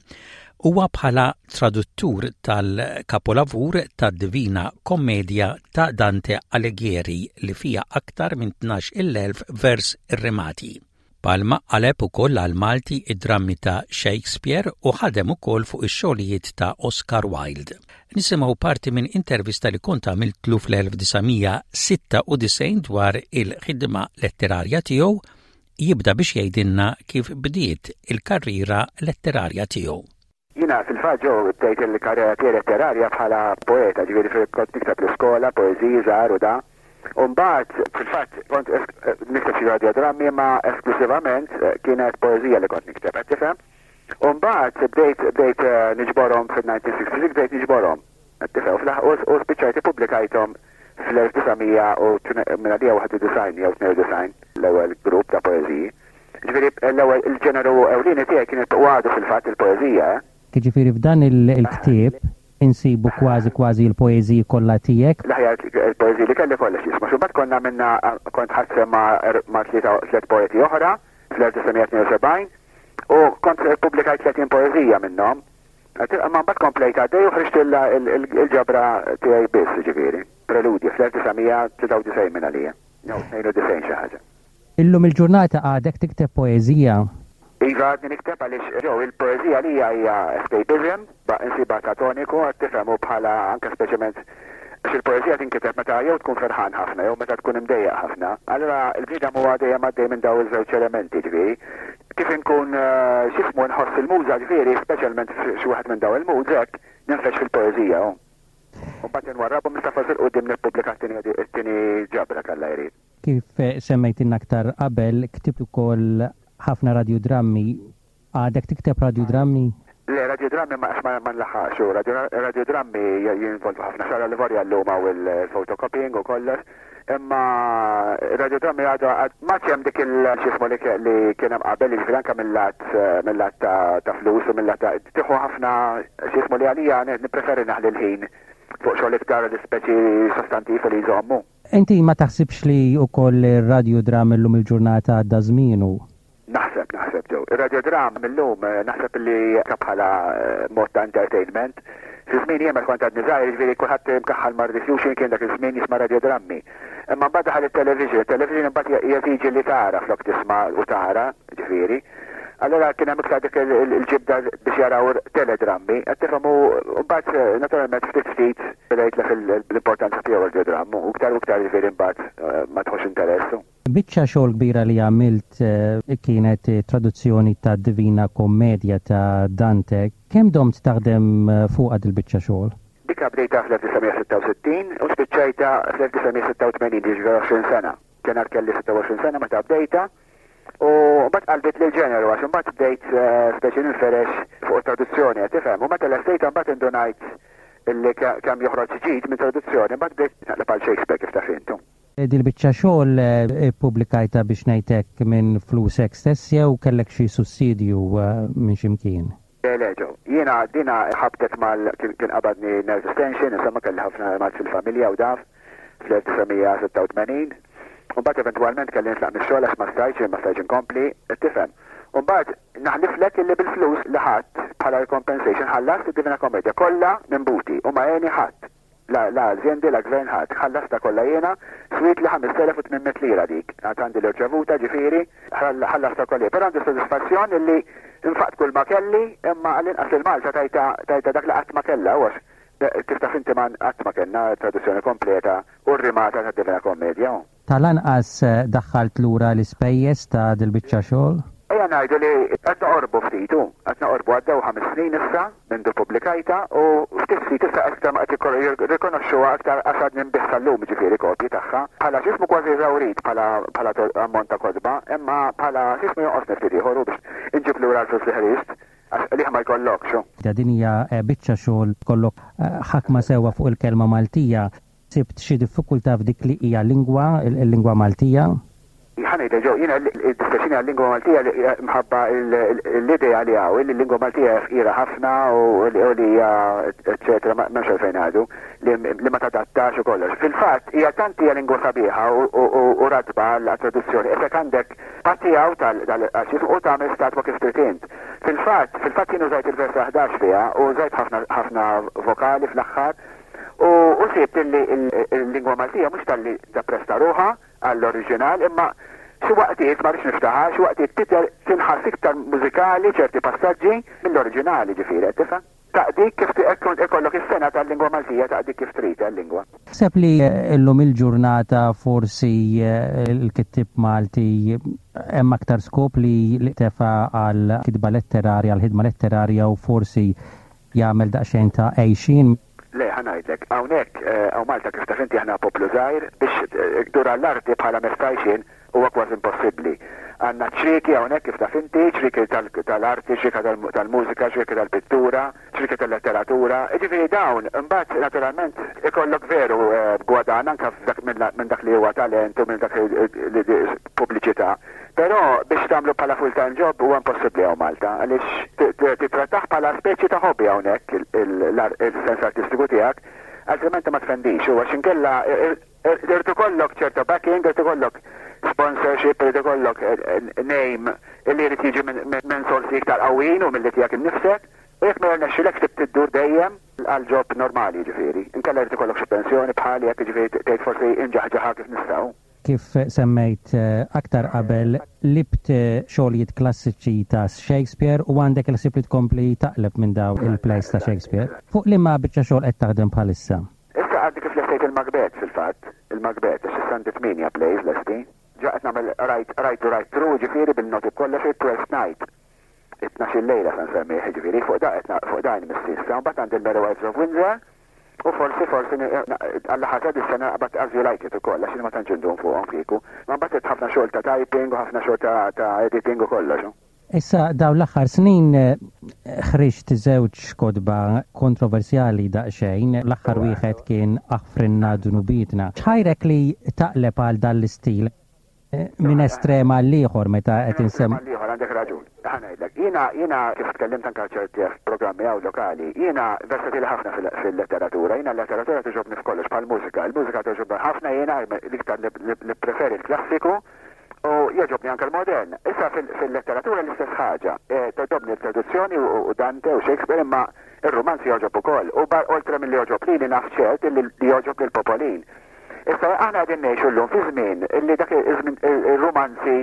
huwa bħala traduttur tal-kapolavur tad-Divina Commedia ta' Dante Alighieri li fiha aktar minn 12,000 vers irrimati. Palma qaleb ukoll għall-Malti id-drammi ta' Shakespeare u ħadem ukoll fuq ix-xogħlijiet ta' Oscar Wilde. Nisimgħu parti minn intervista li kont għamiltlu fl-1996 dwar il-ħidma letterarja tiegħu Jibda biex jgħidilna kif bdiet il-karriera letterarja tiegħu. Jiena fil-fatt Joe bdejt il-karriera tiegħi letterarja bħala poeta, ġifieri fil kont nikteb l-iskola, poeżiji żgħar u da. U mbagħad fil-fatt kont nikteb xi radiodrammi imma esklusivament kienet poeżija li kont nikteb, qed tifhem? U mbagħad bdejt bdejt niġborhom fil-1966 bdejt niġborhom. Qed tifhem? U fl-aħ u spiċċajt ippubblikajthom Fl-1991 jew 92 l-ewwel grupp ta' poeżiji. Ġifieri l-ewwel il-ġeneru ewlieni tiegħi kien u għadu fil-fatt il-poeżija, eh. Jiġifieri f'dan il-ktieb. Insibu kważi kważi l-poeżiji kollha tiegħek. L-aħjar il-poeżiji li kelli kollha x'jisma'. Xi mbagħad konna għamilna kont ħadt sehem ma' ma' tliet poeti oħra fl-1972 u kont ippubblikajt 30 poeżija minnhom. Imma mbagħad komplejt għaddej u ħriġt il-ġabra tiegħi biss, jiġifieri, Preludji fl-1993 minn għalija, jew 92 xi ħaġa. Illum il-ġurnata għadek tikteb poeżija? Iva għadni nikteb għaliex Joe il-poeżija għalija hija escapism, insibha ta' toniku għad tifhem u bħala anke speċjalment għax il-poeżija tinkiteb meta jew tkun ferħan ħafna jew meta tkun imdejjaq ħafna. Allura l-bniedem huwa dejjem għaddej minn dawn iż-żewġ elementi ġifieri. Kif inkun x'ismu nħoss il-muża ġifieri speċjalment f'xi wieħed minn dawn il-moods hekk ninfex fil-poeżija u mbagħad inwarrabhom issa forsi 'l quddiem nippubblika t-tieni ġabra t'Alla jrid. Kif semmejtilna aktar qabel, ktibt ukoll ħafna radjudrammi. Għadek tikteb radjudrammi? Le, radjudrammi ma għax ma nlaħħaqx u radjudrammi jinvolvu ħafna xogħol għallivorja llum hawn il-photocopying u kollox. Imma radjudrammi għadu m'għadx hemm dik il x'jismu li kien hemm qabel, jiġifieri anke mil-lat mil-lat ta' flus u mil-lat ta' tieħu ħafna x'jismu li għalija nippreferi naħli l-ħin fuq xogħol iktar speċi sostantiv u li jżommu. Inti ma taħsibx li wkoll ir-radjudram illum il-ġurnata għadda żmienu? Naħseb, naħseb Joe. Ir-radjodram illum naħseb li anke bħala mod ta' entertainment. Fi żmieni jien meta kont għadni żgħir, jiġifieri kulħadd imkaħħal mar-diffusion kien dak iż-żmien jisma' radjodrammi. Imma mbagħad daħal it-television, it-television imbagħad jeżiġi li tara flok tisma' u tara, ġifieri. Allura kien hemm iktar dik il-ġibda biex jaraw teledrammi, qed tifhem u mbagħad naturalment ftit ftit beda jitlef l-importanza tiegħu ir-radiodramm u iktar u iktar jiġifieri mbagħad ma tħossx interess. Biċċa xogħol kbira li għamilt kienet it-traduzzjoni tad-Divina Commedia ta' Dante. Kemm domt taħdem fuqha dil-biċċa xogħol? Dika bdejtha fl-1966 u spiċċajtha fl-1986, jiġifieri 20 sena. Kien għad kelli 26 sena meta bdejtha. U mbagħad qalbitli l-ġeneru għax imbagħad bdejt speċi ninferex fuq it-traduzzjoni qed tifhem. U meta lestejtha mbagħad indunajt illi kemm joħroġ ġid minn traduzzjoni, mbagħad bdejt naqleb għal Shakespeare kif taf int. Dil-biċċa xogħol ippubblikajtha biex ngħid hekk minn flusek stess jew kellek xi sussidju minn xi mkien? Le le Joe. Jiena dina ħabtet mal kien qabadni nervous tension, insomma kelli ħafna mard fil-familja u daf fl-1986. U mbagħad eventwalment kelli nitlaq mix-xogħol għax ma stajtx, ma stajtx inkompli, qed tifhem. U mbagħad naħliflek illi bil-flus li ħadt bħala compensation ħallast id-Divina Commedia kollha minn buti u ma għeni ħadd. La la azjendi, la gvern ħadd. Ħallastha kollha jiena, swietli 5800 lira dik. Għad għandi l-irċevuta ġifieri, ħallastha kollha jien. Però għandi sodisfazzjon illi nfaqt kull ma kelli, imma għall-inqas lil Malta tajtha tajtha dak li qatt ma kellha u għax kif taf inti ma qatt ma kellna traduzzjoni kompleta u rrimata tad-Divina Commedia. Tal-anqas daħħalt lura l-ispejjeż ta' dil-biċċa xogħol? Ejja ngħidu li qed noqorbu ftit, hu. Qed noqorbu, għaddew ħames snin issa mindu ppubblikajtha u ftit ftit issa aktar ma qed jirrikonoxxuha aktar għax għadni nbigħ sal-lum jiġifieri kopji tagħha bħala x'ismu kważi eżawrit bħala bħala ammont ta' kotba, imma bħala x'ismu jonqosni ftit ieħor hu biex inġib lura l-flus li ħriġt għax qligħ ma jkollokx hu. Din hija biċċa xogħol tkollok ħakma sewwa fuq il-kelma Maltija. Sibt xi diffikultà f'dik li hija lingwa, il-lingwa Maltija? Ħa ngħidlek Joe, jiena jiddispjaċini għal-lingwa Maltija li mħabba l-idea li hawn li l-lingwa Maltija hija fqira ħafna u li hija eċċetera m'hemmx għalfejn ngħidu li ma tadattax u kollox. Fil-fatt hija tant hija lingwa sabiħa u ratba għat-traduzzjoni, isek għandek patti hawn tal-għax u tagħmel statwa kif trid int. Fil-fatt, fil-fatt jien użajt il-versa 11 fiha u użajt ħafna ħafna vokali fl-aħħar U u sibt illi l-lingwa Maltija mhux talli tappresta ruħha għall-oriġinal imma xi waqtiet, ma rridx niftaħar, xi waqtiet tidher tinħass iktar mużikali ċerti passaġġi mill-oriġinali ġifieri qed tifhem? Taqdik kif ikollok is-sengħa tal-lingwa Maltija taqdik kif trid l-lingwa. Taħseb li llum il-ġurnata forsi l-kittieb Malti hemm aktar skop li tefa' għall-kitba letterarja, għall-ħidma letterarja u forsi jagħmel daqsxejn ta' għejxien. Le, ħa ngħidlek, hawnhekk hawn Malta kif taf inti aħna poplu żgħir, biex ddur għall-arti bħala mezz ta' għajxien huwa kważi impossibbli. Għandna ċrieki hawnhekk kif taf inti, ċrieki tal-arti, ċrieka tal-mużika, ċrieki tal-pittura, ċrieki tal-letteratura, jiġifieri dawn imbagħad naturalment ikollok veru gwadann anke minn dak li huwa talent u minn dak li pubbliċità. Però biex tagħmlu bħala full-time job huwa impossibbli hawn Malta għaliex tittrattah bħala speċi ta' hobby hawnhekk il-sens artistiku tiegħek, altrimenti ma tfendix u għax inkella irid ikollok ċerta backing, irid ikollok sponsorship, irid ikollok name illi jrid jiġi minn sorsi iktar qawwijin u milli tiegħek innifsek. U jekk ma jirnexxilekx trid iddur dejjem għal job normali jiġifieri. Inkella jrid ikollok xi pensjoni bħali hekk jiġifieri tgħid forsi inġaħġaħha kif nistgħu. Kif semmejt aktar qabel, qlibt xogħlijiet klassiċi ta' Shakespeare u għandek il-ħsieb li tkompli taqleb minn dawn il-plays ta' Shakespeare. Fuq liema biċċa xogħol qed taħdem bħalissa? Issa għadni kif lestejt il-Macbeth fil-fatt, il-Macbeth, għax issa għandi tmienja plays lesti. Ġa qed nagħmel write, write to write through, jiġifieri bil-noti b'kollox, it-Twelfth Night. It-tnax-il lejla se nsemmih, jiġifieri, fuq da qed fuq da jmiss issa. Mbagħad għandi l-Merry Wives of Windsor u forsi forsi Alla ħasad is-sena naqbad As You Like It ukoll għax jien ma tantx indum fuqhom kieku. Ma mbagħad irid ħafna xogħol ta' typing u ħafna xogħol ta' ta' editing u kollox. Issa dawn l-aħħar snin ħriġt żewġ kotba kontroversjali daqsxejn, l-aħħar wieħed kien Aħfrilna Dnubietna. X'ħajrek li taqleb għal dan l-istil? Minn estrem għall-ieħor meta qed insemmu. Minn estrem għall-ieħor għandek raġun. Ħa ngħidlek, jiena jiena kif tkellimt anke ċerti programmi hawn lokali, jiena versatili ħafna fil-letteratura, jiena l-letteratura togħġobni f'kollox bħall-mużika. Il-mużika togħġobni ħafna jiena l-iktar nippreferi l-klassiku u jogħġobni anke l-modern. Issa fil-letteratura l-istess ħaġa. Togħġobni l-traduzzjoni u Dante u Shakespeare imma r-rumanz jogħġob ukoll. U oltre milli jogħġob lili naf ċert li jogħġob lill-popolin. Issa aħna qegħdin ngħixu llum fi żmien illi dak iż-żmien ir-rumanzi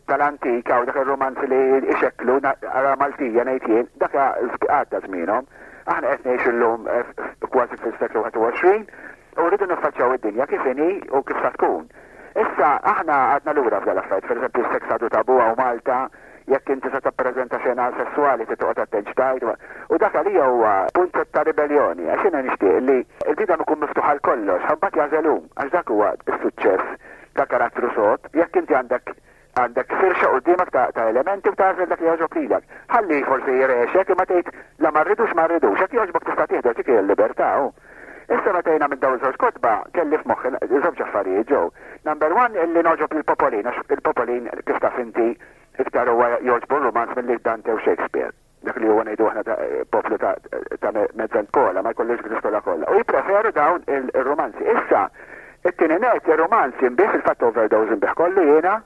tal-antik hawn dak ir-rumanzi li ixekklu ara Maltija ngħid jien, dak għadda żmienhom. Aħna qed ngħixu llum kważi fis-seklu 21 u rridu niffaċċjaw id-dinja kif inhi u kif sa tkun. Issa aħna għadna lura f'dan l-affarijiet, pereżempju s-seks għadu tabu hawn Malta, Jekk inti se tippreżenta xena sesswali trid toqgħod attent x'tgħid u dak għalija huwa punt ta' ribelljoni għax jiena nixtieq li l-bniedem ikun miftuħ għal kollox ħa mbagħad jagħżel hu għax dak huwa s-suċċess ta' karattru sod jekk inti għandek għandek firxa quddiemek ta' ta' elementi u tagħżel dak li jogħġob lilek. Ħalli forsi jrexek imma tgħid la ma rridux ma rridux, jekk jogħġbok tista' tieħdu għax dik hija l-libertà hu. Issa meta jiena minn dawn iż-żewġ kotba kelli f'moħħi żewġ affarijiet ġew. Number one illi nogħġob lill-popolin għax il-popolin kif taf inti iktar huwa jogħġbu r-rumanz milli Dante u Shakespeare. Dak li huwa ngħidu aħna poplu ta' ta' mezza kola ma jkollux dik l-iskola kollha. U jippreferu dawn ir-rumanzi. Issa, it-tieni nett ir-rumanz jinbiegħ fil-fatt overdose inbiegħ kollu jiena,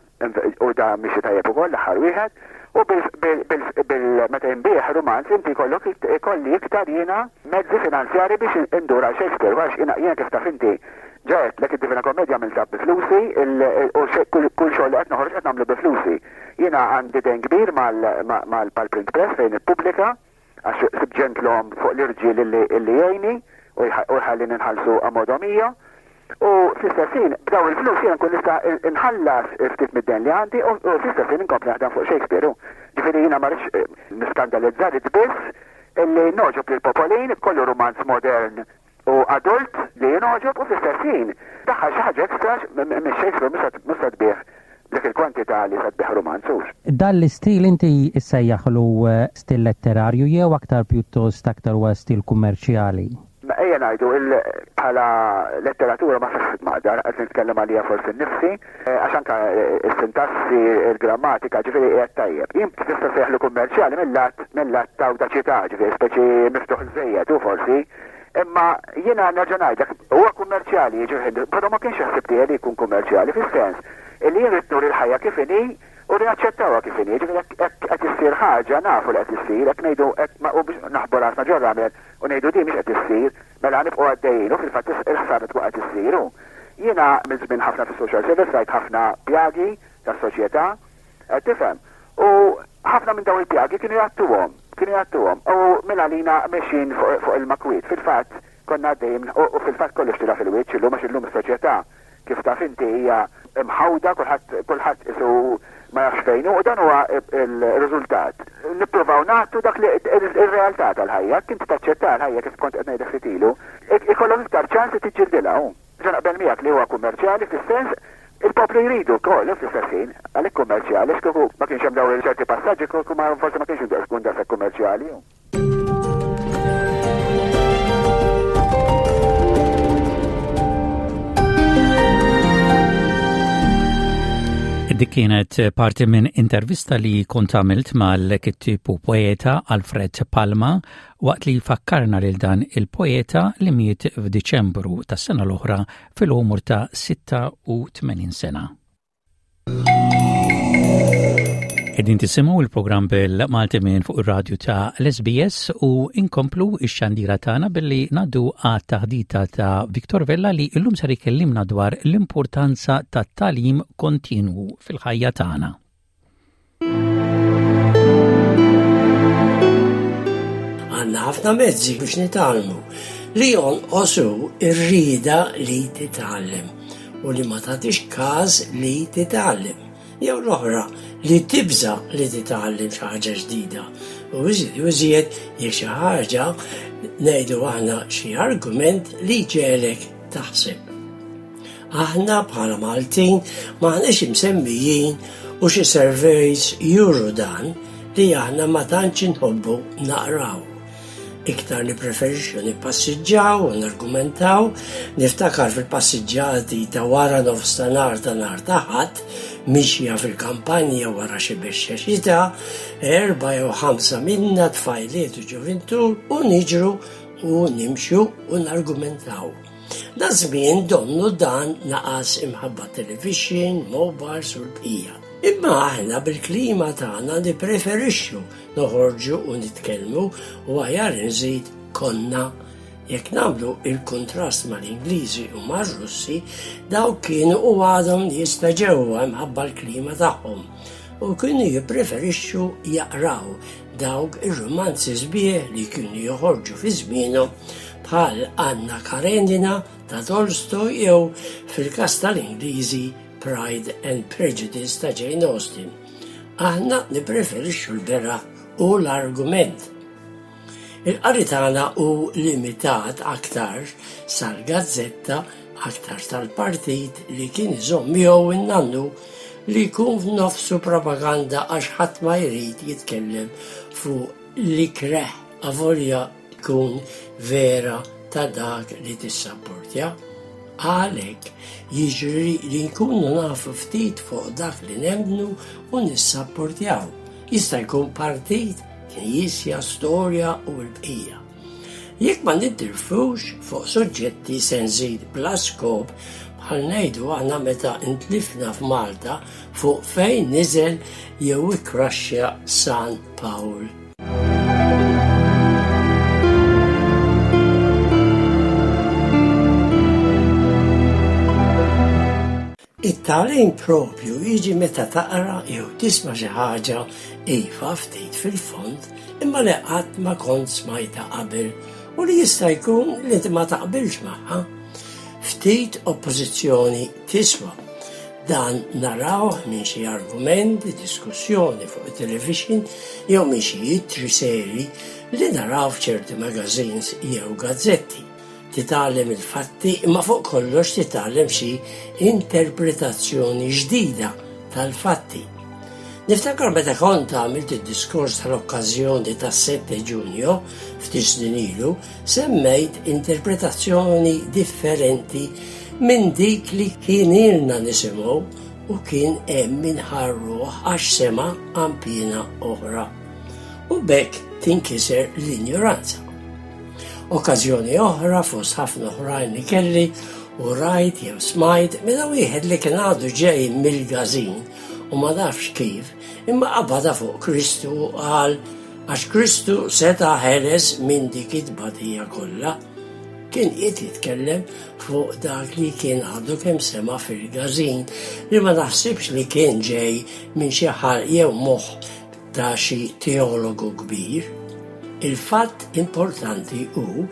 u da mixi tajjeb ukoll l-aħħar wieħed, u bil meta jinbiegħ rumanz inti jkollok ikolli iktar jiena mezzi finanzjari biex indur għal Shakespeare għax jiena jiena kif taf inti ġa għedtlek id-Divina Commedia għamiltha bi flusi u kull xogħol li qed noħroġ qed nagħmlu bi flusi. Jiena għandi dejn kbir mal-Print Press fejn ippubblika Għax sibt ġentlom fuq l-irġiel illi illi jgħinni u jħallini nħallsu a modo mio. U fl-istess ħin, b'dawn il-flus jiena nkun nista' nħallas ftit mid-dejn li għandi u fl-istess ħin inkompli naħdem fuq Shakespeare. Ġifieri jiena ma rridx niskandalizza, rrid biss illi nogħġob lill-popolin, kollu rumanz modern u adult li jingħoġob u fl-istess ħin daħħal xi ħaġa extra minn Shakespeare mhux se tbigħ b'dik il-kwantità li se tbigħ rumanz hux. Dan l-istil inti ssejjaħlu stil letterarju jew aktar pjuttost aktar huwa stil kummerċjali? Ejja ngħidu bħala letteratura ma fihx maqdar, qed nitkellem għalija forsi nnifsi, għax anke s-sintassi, il-grammatika, ġifieri qiegħed tajjeb. Jien tista' ssejjaħlu kummerċjali mil-lat mil-lat ta' awdaċità, ġifieri speċi miftuħ żejjed hu forsi, Imma jiena nerġa' ngħidlek, huwa kummerċjali, jiġifieri, però ma kienx il-ħsieb tiegħi li jkun kummerċjali fis-sens illi jien ridt nuri l-ħajja kif inhi u li naċċettawha kif inhi. Jiġifieri jekk hekk qed issir ħaġa nafu li qed issir, jekk ngħidu hekk ma u biex naħbu rasna ġor-ramel u ngħidu din mhix qed issir, mela nibqgħu għaddejjin u fil-fatt il-ħsara tkun qed issir u jiena għamilt żmien ħafna fis-social service rajt ħafna pjagi tas-soċjetà, qed tifhem? U ħafna minn dawn il-pjagi kienu jgħattuhom, kienu jgħattuhom. U mingħalina mexjin fuq ilma kwiet. Fil-fatt, konna għaddejjin minn, u fil-fatt kollox tila' fil-wiċċ illum għax illum is-soċjetà, kif taf inti, hija mħawda, kulħadd, kulħadd qisu ma jafx fejn hu, u dan huwa r-riżultat. Nippruvaw nagħtu dak li, ir-realtà tal-ħajja. Jekk inti taċċettaha l-ħajja kif kont qed ngħidlek ftit ilu, ikollok iktar ċans li tiġġildilha. Ġa naqbel miegħek li huwa kummerċjali fis-sens il-poplu jridu wkoll fl-istess ħin, għalhekk kummerċjali għax kieku ma kienx hemm dawn ċerti passaġġi kieku ma forsi ma kienx ikun daqshekk kummerċjali. Dik kienet parti minn intervista li kont għamilt mal-kittieb u poeta Alfred Palma waqt li fakkarna lil dan il-poeta li miet f'Diċembru tas-sena l-oħra fil-għomor ta' 86 sena. Qegħdin tisimgħu il-programm bil-Malti minn fuq ir-radju ta' l-SBS u inkomplu ix-xandira tagħna billi ngħaddu għat-taħdita ta' Victor Vella li llum ser ikellimna dwar l-importanza tat-tagħlim kontinwu fil-ħajja tagħna. Għandna ħafna mezzi biex nitgħallmu li jonqos hu r-rieda li titgħallem u li ma tagħtix każ li titgħallem. Jew l-oħra li tibża' li titgħallem xi ħaġa ġdida. U iżjed u iżjed jekk xi ħaġa ngħidu aħna xi argument li jġegħlek taħseb. Aħna bħala Maltin m'aħniex imsemmijin u xi surveys juru dan li aħna ma tantx inħobbu naqraw. Iktar nippreferixxu nippassiġġaw u nargumentaw, niftakar fil-passiġġati ta' wara nofstanhar ta' nhar ta' Ħadd, mixja fil-kampanja wara xi bexxa xita, erbgħa jew ħamsa minna tfajliet u ġuvintur u niġru u nimxu u nargumentaw. Daż-żmien donnu dan naqas imħabba t-televixin, mobiles u l-bqija. Imma aħna bil-klima tagħna nippreferixxu Noħorġu u nitkellmu u aħjar inżid konna. Jekk nagħmlu il-kuntrast mal-Ingliżi u mar-Russi, dawk kienu u għadhom nies ta' ġewwa imħabba l-klima tagħhom u kienu jippreferixxu jaqraw dawk ir-rumanzi sbieħ li kienu joħorġu fi żmienhom bħal Anna Karenina ta' Tolstoj jew fil-każ tal-Ingliżi Pride and Prejudice ta' Jane Austen. Aħna nippreferixxu l-beraħ u l-argument. Il-qari tagħna hu limitat aktarx sal-gazzetta, aktarx tal-partit li kien iżomm miegħu n-nannu li jkun f'nofsu propaganda għax ħadd ma jrid jitkellem fuq l-ikreh avolja tkun vera ta' dak li tissapportja. Għalhekk jiġri li nkunu nafu ftit fuq dak li nemmnu u nissapportjaw. Jista' jkun partit, knisja, storja u l-bqija. Jekk ma nintilfux fuq suġġetti se nżid bla skop bħal ngħidu aħna meta ntlifna f'Malta fuq fejn niżel jew ikkraxxja San Pawl. It-tagħlim propju jiġi meta taqra jew tisma' xi ħaġa iva ftit fil-fond imma li qatt ma kont smajtha qabel u li jista' jkun li ma taqbilx magħha. Ftit oppożizzjoni tiswa. Dan narawh minn xi argument, diskussjoni fuq it-televixin jew minn xi ittri serji li naraw f'ċerti magazines jew gazzetti. Titgħallem il-fatti imma fuq kollox titgħallem xi interpretazzjoni ġdida tal-fatti. Niftakar meta kont għamilt id-diskors tal-okkażjoni tas-7 Ġunju ftit snin ilu, Semmejt interpretazzjoni differenti minn dik li kien ilna nisimgħu u kien hemm min ħa r-ruħ għax sema' qanpiena oħra. U b'hekk tinkiser l-injoranza. Okkażjoni oħra fost ħafna oħrajn li kelli u rajt jew smajt meta wieħed li kien għadu ġej mill-gażin u ma nafx kif imma qabadha fuq Kristu u qal Għax Kristu seta' ħeles minn dik it-tbatija kollha. Kien qiegħed jitkellem fuq dak li kien għadu kemm sema' fil-gażin li ma naħsibx li kien ġej minn xi ħalq jew moħħ ta' xi teologu kbir. Il-fatt importanti hu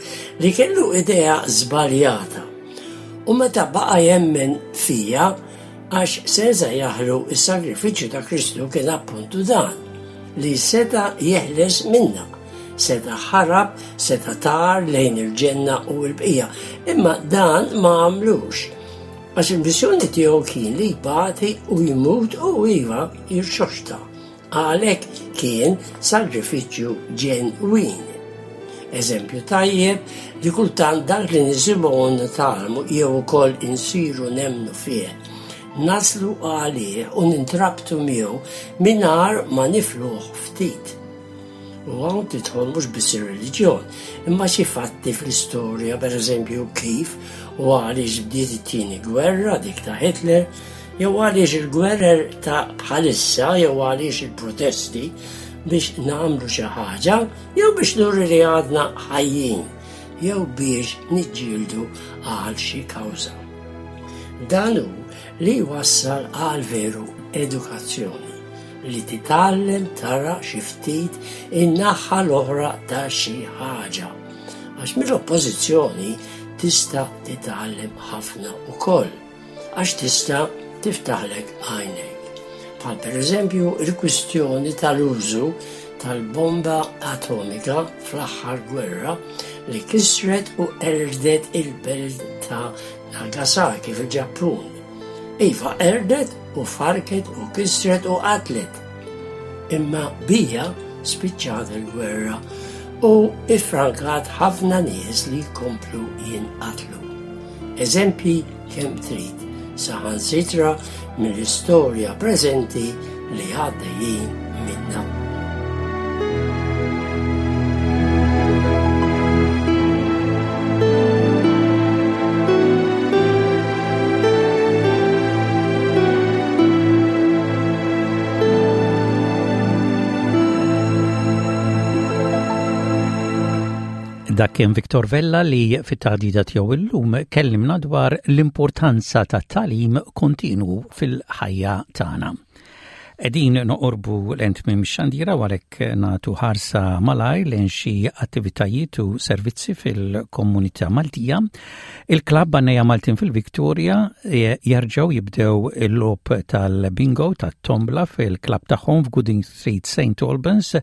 li kellu idea żbaljata u meta baqa' jemmen fija Għax se nżejjaħlu s-sagrifiċċju ta' Kristu kien appuntu dan, li seta' jeħles minna, seta' ħarab, seta' tar lejn il-ġenna u l-bqija, imma dan ma għamlux. Għax il-missjoni tiegħu kien li jbati u jmut u iva jirxoxta. Għalhekk kien sagrifiċċju ġenwin. Eżempju tajjeb li kultant dak li nisimgħu u nitgħallmu jew ukoll insiru nemmnu fih. naslu għalih u nintrabtu miegħu mingħajr ma nifluh ftit. U hawn tidħol mhux biss ir-reliġjon, imma xi fatti fl-istorja, pereżempju kif u għaliex bdiet it-tieni gwerra dik ta' Hitler, jew għaliex il-gwerer ta' bħalissa jew għaliex il-protesti biex nagħmlu xi ħaġa jew biex nuri li għadna ħajjin jew biex niġġieldu għal xi kawża. Dan hu li jwassal għal veru edukazzjoni li titgħallem tara xi ftit in-naħa l-oħra ta' xi ħaġa. Għax mill-oppożizzjoni tista' titgħallem ħafna ukoll. Għax tista' tiftaħlek għajnejk. Bħal pereżempju il-kwistjoni tal-użu tal-bomba atomika fl-aħħar gwerra li kisret u qerdet il-belt ta' Nagasaki fil-Ġappun. Iva qerdet u farket u kisret u qatlet. Imma bija spiċċat il-gwerra u iffrankat ħafna nies li jkomplu jinqatlu. Eżempji kemm trid, saħansitra mill-istorja preżenti li għaddejjin minnha. Dak kien Victor Vella li fit-taħdita tiegħu illum kellimna dwar l-importanza tat-tagħlim kontinwu fil-ħajja tagħna. Qegħdin noqorbu lejn tmiem xandira u għalhekk nagħtu ħarsa malajr lejn xi attivitajiet u servizzi fil-komunità Maltija. Il-klabb għannejja Maltin fil-Viktoria e, jerġgħu jibdew il-logħob tal-bingo tat-tombla fil-klabb tagħhom f'Gooding Street St. Albans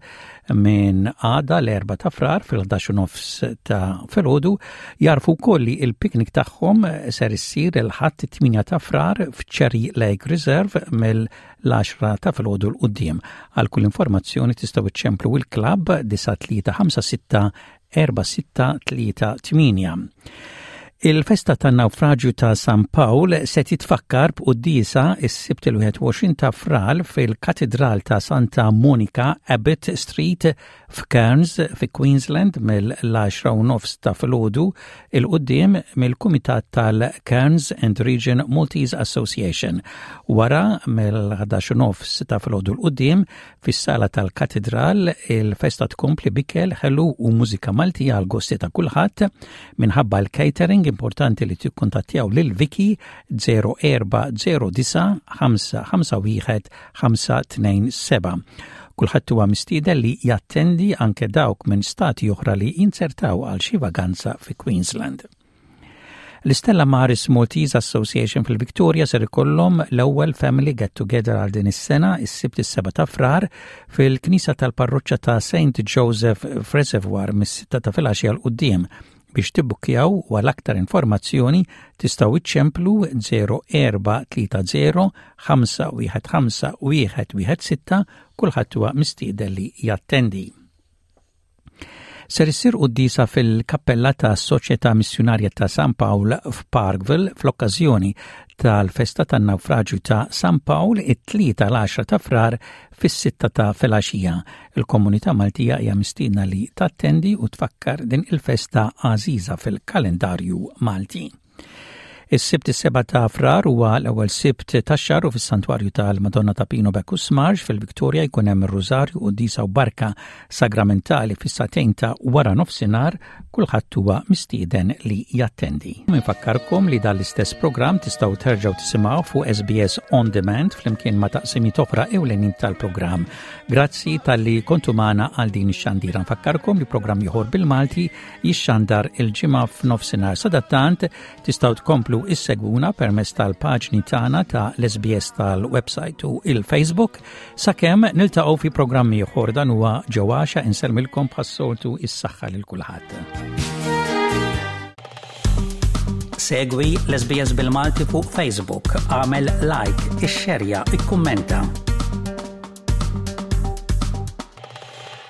minn għada l-4 ta' frar fil-11 nofs ta' filgħodu jarfu wkoll li il-piknik tagħhom ser issir il-ħadd 8 ta' frar f'Cherry Lake Reserve mill-10 ta' filgħodu l quddiem Għal kull informazzjoni tistgħu iċċemplu il-klabb 9356 4638. Il-festa tan-nawfraġju ta' San Pawl se titfakkar b'quddiesa s-Sibt il-21 ta' Frar fil-Katidral ta' Santa Monica, Abbott Street, f'Cairns, fi Queensland mill-10 u nofs ta' filgħodu 'il quddiem mill-Kumitat tal-Cairns and Region Maltese Association. Wara mill-11 u nofs ta' filgħodu 'l quddiem Fis-sala tal-Katidral, il-festa tkompli b'ikel ħelu u mużika Maltija għal gosti ta' kulħadd. Minħabba l-catering importanti li tikkuntattjaw lil Vicky 0409 551 527. Kulħadd huwa mistieden li jattendi anke dawk minn stati oħra li jinzertaw għal xi vaganza fi Queensland. L-Istella Maris Maltese Association fil-Victoria ser ikollhom l-ewwel Family Get Together għal din is-sena is-Sibt is-7 ta' Frar fil-Knisja tal-Parroċċa ta' St. Joseph Reservoir mis-sitta ta' filgħaxija l quddiem. Biex tibbukkjaw u għal aktar informazzjoni tistgħu iċċemplu 0430 515 116 kulħadd huwa mistieden li jattendi. Ser issir quddiesa fil-kappella ta' Soċjetà Missjunarja ta' San Pawl f'Parkville fl-okkażjoni tal-festa tan-nawfraġju ta' San Pawl it-Tlieta l-10 ta' Frar fis-sitta ta' filgħaxija. Il-komunità Maltija hija mistiedna li tattendi u tfakkar din il-festa għażiża fil-kalendarju Malti. Is-Sibt is-7 ta' Frar huwa l-ewwel Sibt tax-xahar u fis-Santwarju tal-Madonna ta' Pino Bacchus Marx fil-Victoria jkun hemm ir-Rużarju quddiesa u barka sagramentali fis-sagħtejn ta' wara nofsinhar, kulħadd huwa mistieden li jattendi. Infakkarkom li dan l-istess programm tistgħu terġgħu tisimgħu fuq SBS On Demand flimkien ma' taqsimiet oħra ewlenin tal-programm. Grazzi talli kontu magħna għal din ix-xandira. Nfakkarkom li programm ieħor bil-Malti jixxandar il-Ġimgħa f'nofsinhar. Sadattant tistgħu tkomplu issegwuna permezz tal-paġni tagħna ta' l-SBS tal-website u il-Facebook sakemm niltaqgħu fi programm ieħor dan huwa ġewwaxa insellmilkom bħas-soltu is-saħħa lil kulħadd. Segwi l-SBS bil-Malti fuq Facebook, għamel like, ixxerja, ikkummenta.